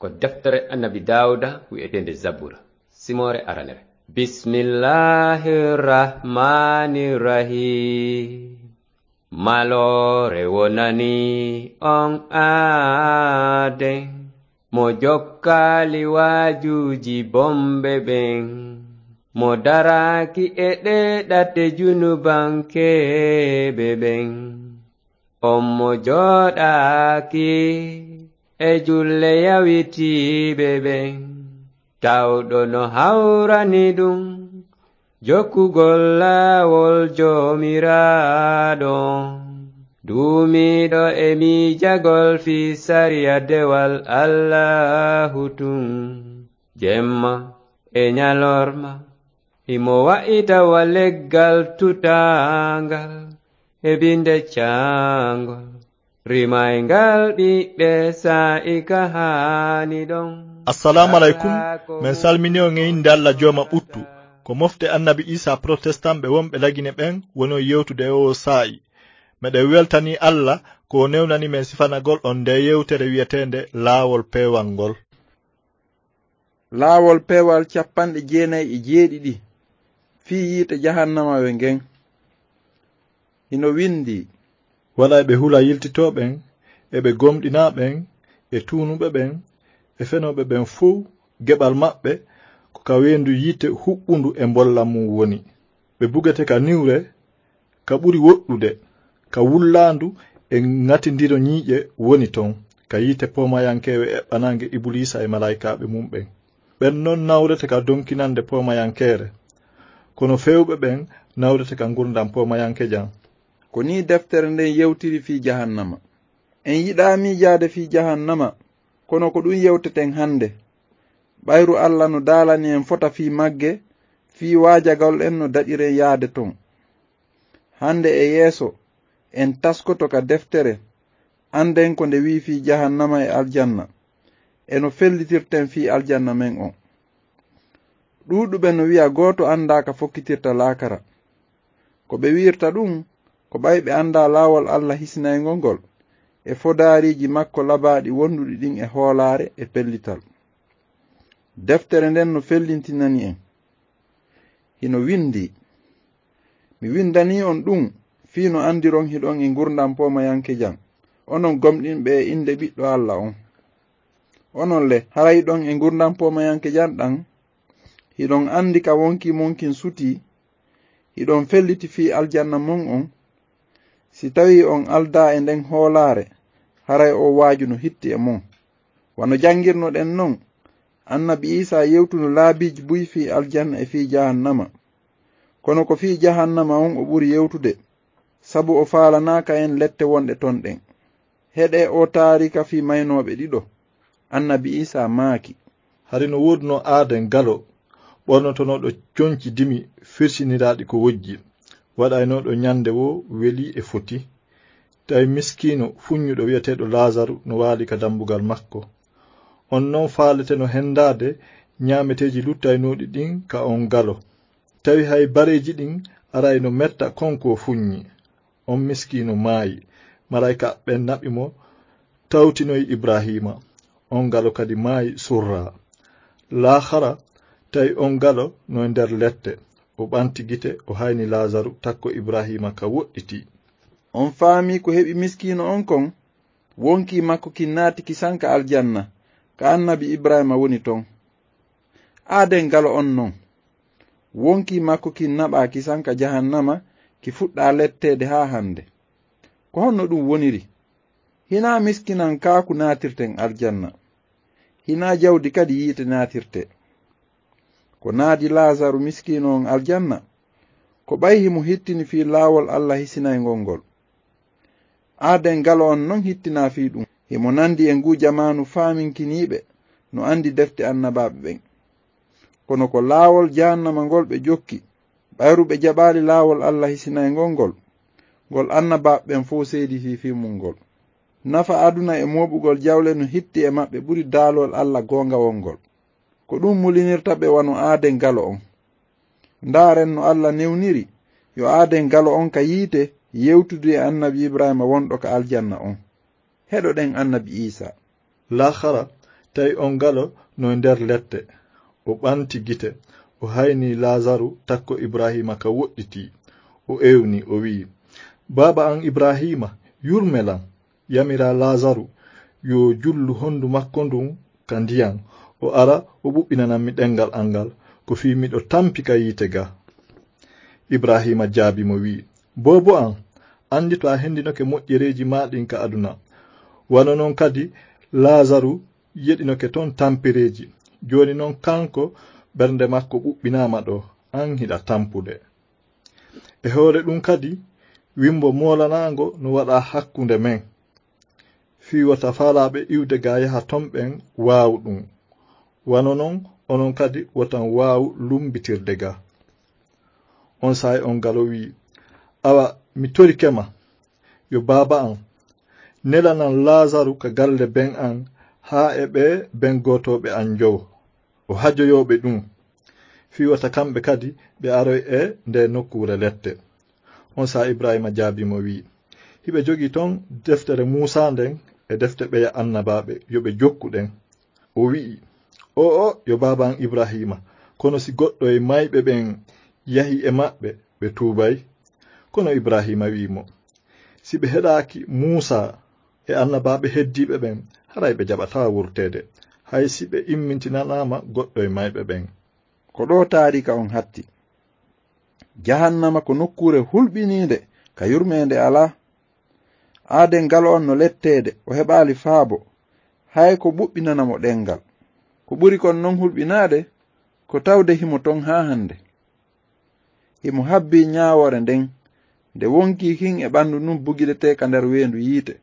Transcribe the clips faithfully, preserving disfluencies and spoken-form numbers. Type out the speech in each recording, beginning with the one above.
Ko deftere Annabi Daawuda wi'eteende Zabura, simoore aranere. Bismillahir Rahmanir Rahim. Maloore wonani on aaden, mo jokkaali waajuuji bomɓe ɓen, mo daraaki e ɗee ɗate junubankeeɓe ɓen. On mo jooɗaaki e julle yawitiiɓe ɓen, tawɗo no hawrani ɗum jokkugol laawol Joomiraaɗo, duumiiɗo e miijagol fii sariya dewal Allaahu tun, jemma e ñalorma. Himo wa'ita wa leggal tutaangal e binde caangol, rimayngal ɓiɓɓe saa'i ka haani ɗon. Assalaamu aleykum. Men salmini on e innde Alla Jooma ɓuttu. Ko mofte Annabi Iisaa protestant ɓe wonɓe Lagine ɓen woni on yewtude e oo saa'i. Meɗen weltanii Alla ko o newnani men sifanagol on ndee yewtere wi'eteende Laawol Peewal ngol. Laawol peewal cappanɗe jeenayi e jeeɗiɗi fii yiite jahannamawe ngen. Hino windii. Waɗa e ɓe hula yiltitooɓe ɓen, e ɓe gomɗinaa ɓen, e tuunuɓe ɓen, e fenooɓe ɓen fow, geɓal maɓɓe ko ka weendu yiite huɓɓundu e mbollam mun woni. Ɓe bugete ka niwre, ka ɓuri woɗɗude, ka wullaandu e ŋatindiro ñiiƴe woni ton, ka yiite poomayankeewe eɓɓanaange Ibuliisa e malaa'ikaaɓe mun ɓen. Ɓen non nawrete ka donkinannde poomayankeere, kono feewɓe ɓen nawrete ka ngurndan poomayankejan. Ko nii deftere nden yewtiri fii jahannama. En yiɗaa miijaade fii jahannama, kono ko ɗun yewteten hannde. Ɓayru Alla no daalani en fota fii magge, fii waajagol en no daɗiren yaade ton. Hannde e yeeso, en taskoto ka deftere, annden ko nde wi'i fii jahannama e aljanna, e no fellitirten fii aljanna men on. Ɗuuɗuɓe no wi'a gooto anndaa ka fokkitirta laakara. Ko ɓe wi'irta ɗun, ko ɓay ɓe anndaa laawol Alla hisinayngol ngol, e fodaariiji makko labaaɗi wonduɗi ɗin e hoolaare e pellital. Deftere nden no fellintinani en. Hino windii. Mi windanii on ɗun, fii no anndiron hiɗon e ngurndan poomayankejan, onon gomɗinɓe e innde Ɓiɗɗo Alla on. Onon le, hara hiɗon e ngurndan poomayankejan ɗan? Hiɗon anndi ka wonkii mon kin sutii? Hiɗon felliti fii aljanna mon on? Si tawii on aldaa e nden hoolaare, haray oo waaju no hitti e mon. Wano janngirnoɗen non, Annabi Iisaa yewtuno laabiiji buy fii aljanna e fii jahannama. Kono ko fii jahannama on o ɓuri yewtude, sabu o faalanaaka en lette wonɗe ton ɗen. Heɗee oo taariika fii maynooɓe ɗiɗo. Annabi Iisaa maaki. Hari no woodunoo aaden galo, ɓornotonooɗo conci dimi firsiniraaɗi ko wojji, waɗaynooɗo ñande woo welii e foti. Tawi miskiino fuññuɗo wi'eteeɗo Laazaru no waali ka dambugal makko. On non faaleteno hendaade ñaameteeji luttaynooɗi ɗin ka on galo. Tawi hay bareeji ɗin arayno metta kon ko fuññi. On miskiino maayi. Malaa'ika ɓen naɓi mo, tawtinoyi Ibraahiima. On galo kadi maayi surraa. Laakhara, tawi on galo no e nder lette. O ɓanti gite, o hayni Laazaru, takko Ibraahiima ka woɗɗitii. On faamii ko heɓi miskiino on kon? Wonkii makko kin naati kisan ka aljanna, ka Annabi Ibraahiima woni ton. Aaden galo on non. Wonkii makko kin naɓaa kisan ka jahannama, ki fuɗɗaa letteede haa hande. Ko honno ɗun woniri? Hinaa miskinankaaku naatirten aljanna. Hinaa jawdi kadi yiite naatirtee. Ko naadi Laazaru miskiino on aljanna, ko ɓay himo hittini fii laawol Alla hisinayngol ngol. Aaden galo on non hittinaa fii ɗun. Himo nandi e nguu jamaanu faaminkiniiɓe no andi defte annabaaɓe ɓen. Kono ko laawol jahannama ngol ɓe jokki, ɓayru ɓe jaɓaali laawol Alla hisinayngol ngol, ngol annabaaɓe ɓen fow seediti fii mun ngol. Nafa aduna e mooɓugol jawle no hitti e maɓɓe ɓuri daalol Alla goongawol ngol. Ko ɗun mulinirta ɓe wano aaden galo on. Ndaaren no Alla newniri yo aaden galo on ka yiite yewtudu e Annabi Ibraahiima wonɗo ka aljanna on. Heɗoɗen Annabi Iisaa. Laakhara, Tawi on galo no nder lette. O ɓanti gite, o hayni Laazaru takko Ibrahiima ka woɗɗiti. O ewni, o wi'i, "Baaba an Ibrahiima, yurme lan, yamira Laazaru yo jullu hondu makko ndun ka ndiyan, o ara o ɓuɓɓinanammi ɗengal an ngal, ko fii miɗo tampi ka yiite ga." Ibrahiima jaabi mo wi'i, "Boobo an, anndi to a hendinoke moƴƴereeji maa ɗin ka aduna, wano non kadi Laazaru yeɗinoke ton tampereeji. Jooni non kanko ɓernde makko ɓuɓɓinaama ɗo, an hiɗa tampude. E hoore ɗun kadi, wimbo moolanaango no waɗa hakkunde men, fii wota faalaaɓe iwde ga yaha ton ɓen waawu ɗun. Wano non, onon kadi wotan waawu lumbitirde ga." On saa'i on galo wi'i, "Awa, mi torike ma, yo baaba an, nelanan Laazaru ka galle ben an, haa e ɓe ben gootooɓe an njowo. O hajoyoo ɓe ɗun, fii wota kamɓe kadi ɓe aroy e nde nokkuure lette." On saa'i Ibrahiima jaabii mo wi'i, "Hiɓe jogii ton deftere Muusaa nden e defte ɓeya annabaaɓe, yo ɓe jokku ɗen." O wi'i, "O'o, yo baaba an Ibrahiima, kono si goɗɗo e mayɓe ɓen yahi e maɓɓe, ɓe tuubay?" Kono Ibrahiima wi'i mo, "Si ɓe heɗaaki Muusaa e annabaaɓe heddiiɓe ɓen, haray ɓe jaɓataa wurteede, hay si ɓe immintinanaama goɗɗo e mayɓe ɓen." Ko ɗoo taariika on hatti. Jahannama ko nokkuure hulɓiniinde ka yurmeende alaa. Aaden galo on no letteede, o heɓaali faabo, hay ko ɓuɓɓinana mo ɗenngal. Ko ɓuri kon non hulɓinaade, ko tawde himo ton haa hannde. Himo habbii ñaawoore nden, nde wonkii kin e ɓanndu ndun bugidetee ka nder weendu yiite.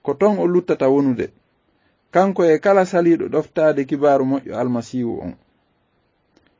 Ko ton o luttata wonude, kanko e kala saliiɗo ɗoftaade kibaaru moƴƴo Almasiihu on.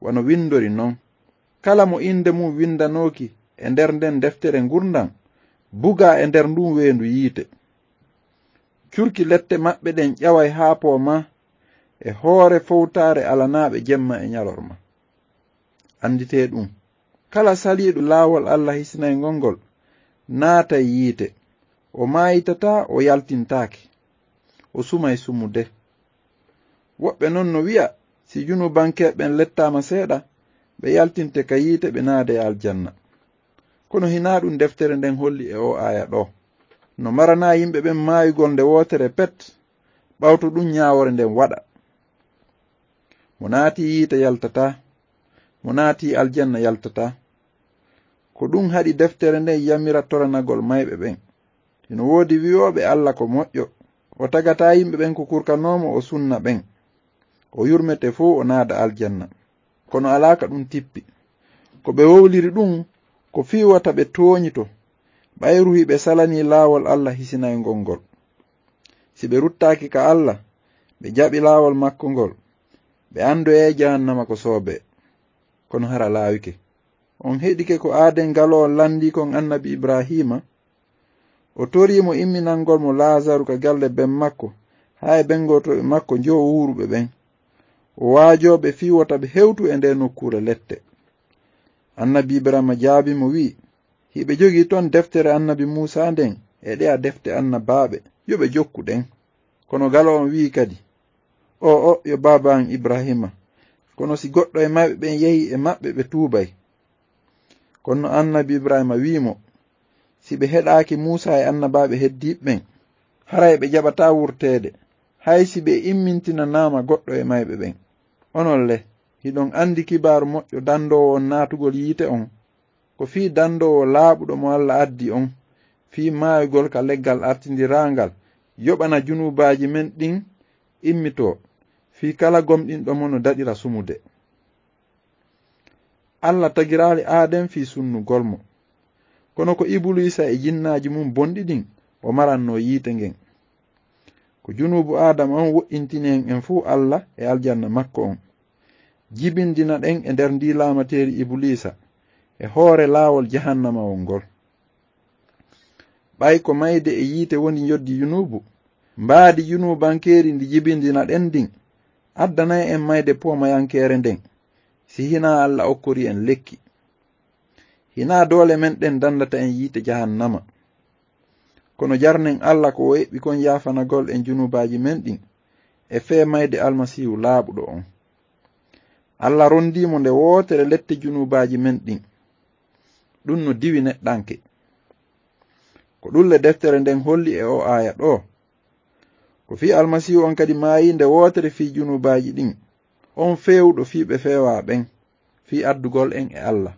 Wano windori non, "Kala mo innde mun windanooki e nder nden deftere ngurndan, bugaa e nder ndun weendu yiite. Curki lette maɓɓe ɗen ƴaway haa poomaa e hoore fowtaare alanaaɓe jemma e ñalorma." Annditee ɗun, kala saliiɗo laawol Alla hisinayngol ngol naatay yiite, o maayitataa, o yaltintaake, o sumay sumude. Woɓɓe non no wi'a, si junubankeeɓe ɓen lettaama seeɗa, ɓe yaltinte ka yiite, ɓe naada e aljanna. Kono hinaa ɗun deftere nden holli e oo aaya ɗoo. No maranaa yimɓe ɓen maayugol nde wootere pet, ɓawto ɗun ñaawoore nden waɗa. Mo naatii yiite yaltataa, mo naatii aljanna yaltataa. Ko ɗun haɗi deftere nden yamira toranagol mayɓe ɓen. Hino woodi wi'ooɓe Alla ko moƴƴo, o tagataa yimɓe ɓen ko kurkanoo mo o sunna ɓen. O yurmete fow o naada aljanna. Kono alaa ka ɗun tippi. Ko ɓe wowliri ɗun ko fii wota ɓe tooñito, ɓayru hiɓe salanii laawol Alla hisinayngol ngol. Si ɓe ruttaaki ka Alla, ɓe jaɓi laawol makko ngol, ɓe andoyay jahannama ko soobee. Kono hara laawike. On heɗike ko aaden galo on landii kon annabi Ibrahiima? O torii mo imminangol mo Laazaru ka galle ben makko, haa e bengotooɓe makko njowo wuuruɓe ɓen. O waajoo ɓe fii wota ɓe hewtu e nde nokkuure lette. Annabi Ibrahiima jaabii mo wi'i, "Hiɓe jogii ton deftere annabi Muusaa nden e ɗeya defte annabaaɓe, yo ɓe jokku ɗen." Kono galo on wi'i kadi, "O'o, yo baaba an Ibrahiima, kono si goɗɗo e mayɓe ɓen yehii e maɓɓe, ɓe tuubay." Kono annabi Ibrahiima wi'i mo, "Si ɓe heɗaaki Muusaa e annabaaɓe heddiiɓe ɓen, haray ɓe jaɓataa wurteede, hay si ɓe immintinanaama goɗɗo e mayɓe ɓen. Onon le, hiɗon andi kibaaru moƴƴo dandoowo on naatugol yiite on? Ko fii dandoowo laaɓuɗo mo Alla addi on, fii maayugol ka leggal artindiraangal, yoɓana junuubaaji men ɗin immitoo, fii kala gomɗinɗo mo no daɗira sumude." Alla tagiraali Aaden fii sunnugol mo. Kono ko Ibuliisa e jinnaaji mun bonɗi ɗin o marannoo yiite ngen. Ko junuubu Aadama on woɗɗintini en, en fuu Alla e aljanna makko on. Jibindina ɗen e nder ndii laamateeri Ibuliisa e hoore laawol jahannamawol ngol. Ɓay ko mayde e yiite woni njoddi junuubu, mbaadi junuubankeeri ndi jibindina ɗen ndin addanay en mayde poomayankeere nden, si hinaa Alla okkorii en lekki. Hinaa doole men ɗen dandata en yiite jahannama. Kono jarnen Alla ko o eɓɓi kon yaafanagol en junuubaaji men ɗin, e fee mayde Almasiihu laaɓuɗo on. Alla rondii mo nde wootere lette junuubaaji men ɗin. Ɗum no diwi neɗɗanke. Ko ɗum le deftere nden holli e oo aaya ɗoo. Ko fii Almasiihu on kadi maayii nde wootere fii junuubaaji ɗin, on feewuɗo fii ɓe feewaa ɓen, fii addugol en e Alla.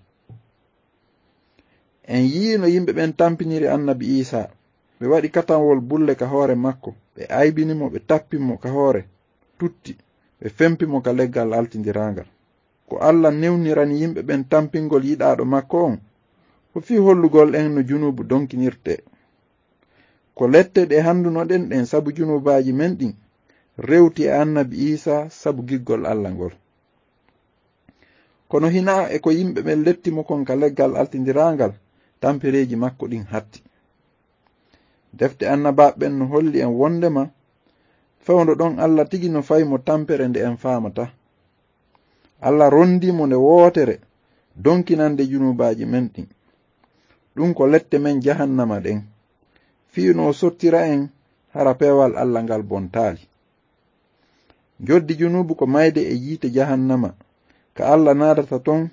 En yi'ii no yimɓe ɓen tampiniri annabi Iisaa. Ɓe waɗi katanwol bulle ka hoore makko, ɓe aybini mo, ɓe tappi mo ka hoore tutti, ɓe fempi mo ka leggal altindiraangal. Ko Alla newnirani yimɓe ɓen tampingol yiɗaaɗo makko on, ko fii hollugol en no junuubu donkinirtee. Ko lette ɗe handunoɗen ɗen sabu junuubaaji men ɗin, rewti e annabi Iisaa sabu giggol Alla ngol. Kono hinaa e ko yimɓe ɓen letti mo kon ka leggal altindiraangal, tampereeji makko ɗin hatti. Defte annabaaɓe ɓen no holli en wondema fewndo ɗon Alla tigi no fawi mo tampere nde en faamataa. Alla rondii mo nde wootere donkinande junuubaaji men ɗin. Ɗum ko lette men jahannama ɗen. Fii no o sottira en hara peewal Alla ngal bontaali. Njoddi junuubu ko mayde e yiite jahannama, ka Alla naadata ton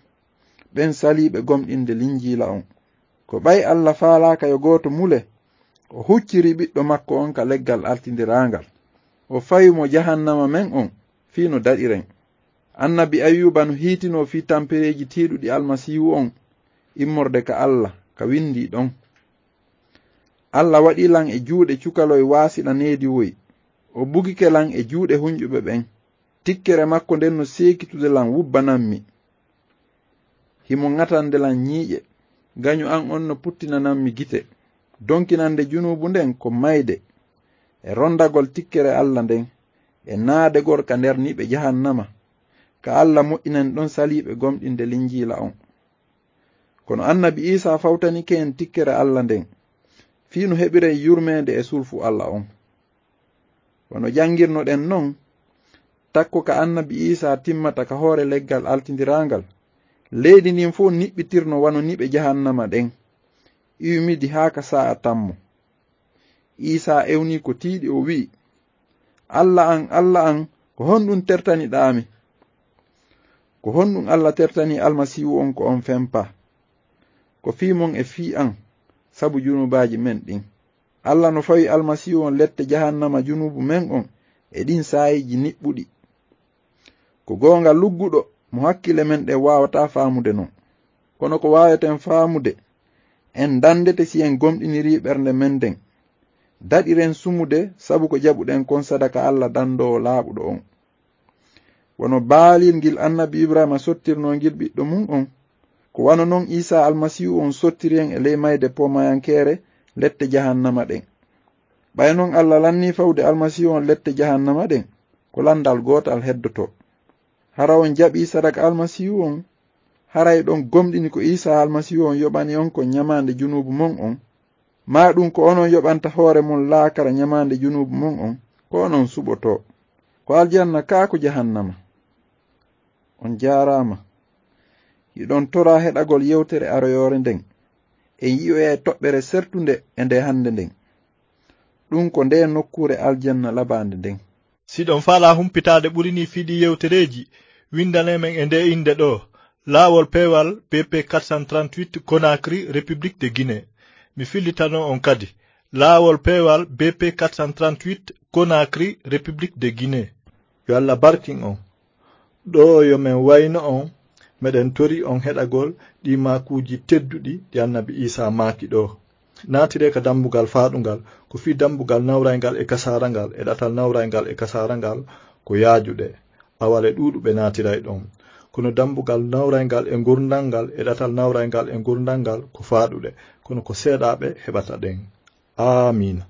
ɓen saliiɓe gomɗinde Linjiila on. Ko ɓay Alla faalaaka yo gooto mule, o hucciri ɓiɗɗo makko on ka leggal altindiraangal. O fawi mo jahannama men on fii no daɗiren. Annabi Ayuuba no hiitinoo fii tampereeji tiiɗuɗi Almasiihu on immorde ka Alla, ka windii ɗon. Alla waɗi lan e juuɗe cukaloy waasiɗa neediwoy. O bugike lan e juuɗe hunƴuɓe ɓen. Tikkere makko nden no seekitude lan wubbanammi. Himo ŋatande lan ñiiƴe. Gañu an on no puttinanammi gite. Donkinande junuubu nden ko mayde. E rondagol tikkere Alla nden. E naadegol ka nder niɓe jahannama. Ka Alla moƴƴinani ɗon saliiɓe gomɗinde Linjiila on. Kono annabi Iisaa fawtanike en tikkere Alla nden. Fii no heɓiren yurmeende e sulfu Alla on. Wano janngirnoɗen non, takko ka annabi Iisaa timmata ka hoore leggal altindiraangal, leydi ndin fow niɓɓitirno wano niɓe jahannama ɗen, iwmidi haa ka saa'a tammo. Iisaa ewnii ko tiiɗi, o wi'i, "Alla an, Alla an, ko honɗun tertaniɗaa mi?" Ko honɗun Alla tertanii Almasiihu on ko on fempaa? Ko fii mon e fii an, sabu junubaaji men ɗin. Alla no fawi Almasiihu on lette jahannama junuubu men on e ɗin saa'iiji niɓɓuɗi. Ko goonga lugguɗo mo hakkille men ɗen waawataa faamude non. Kono ko waaweten faamude, en dandete si en gomɗinirii ɓernde men nden. Daɗiren sumude sabu ko jaɓuɗen kon sadaka Alla dandoowo laaɓuɗo on. Wano baalil ngil annabi Ibrahima sottirnoo ngil ɓiɗɗo mun on, ko wano non Iisaa Almasiihu on sottiri en e ley mayde poomayankeere lette jahannama ɗen. Ɓay non Alla lannii fawde Almasiihu on lette jahannama ɗen, ko landal gootal heddotoo. Hara on jaɓii sadaka Almasiihu on? Haray ɗon gomɗini ko Iisaa Almasiihu on yoɓani on kon ñamaande junuubu mon on? Maa ɗum ko onon yoɓanta hoore mon laakara ñamaande junuubu mon on, ko onon suɓotoo. Ko aljanna kaa ko jahannama? On jaaraama. Hiɗon toraa heɗagol yewtere aroyoore nden. En yi'oyay toɓɓere sertunde e nde hannde nden. Ɗum ko nde nokkuure aljanna labaande nden. Si ɗon faalaa humpitaade ɓuri nii fii ɗii yewtereeji, windanee men e ndee innde ɗoo, Laawol Peewal B P quatre cent trente-huit, Conakry, République de Guinée. Mi fillitanoo on kadi, Laawol Peewal B P quatre cent trente-huit, Conakry, République de Guinée. Yo Alla barkin on. Ɗoo yo men wayno on, meɗen tori on heɗagol ɗii maakuuji tedduɗi ɗi Annabi Iisaa maaki ɗoo. Naatiree ka dambugal faaɗungal, ko fii dambugal nawrayngal e kasaarangal, e ɗatal nawrayngal e kasaarangal ko yaajuɗe, awale ɗuuɗuɓe naatiray ɗon. Kono dambugal nawrayngal e ngurndangal, e ɗatal nawrayngal e ngurndangal ko faaɗuɗe, kono ko seeɗaaɓe heɓata ɗen. Aamiina.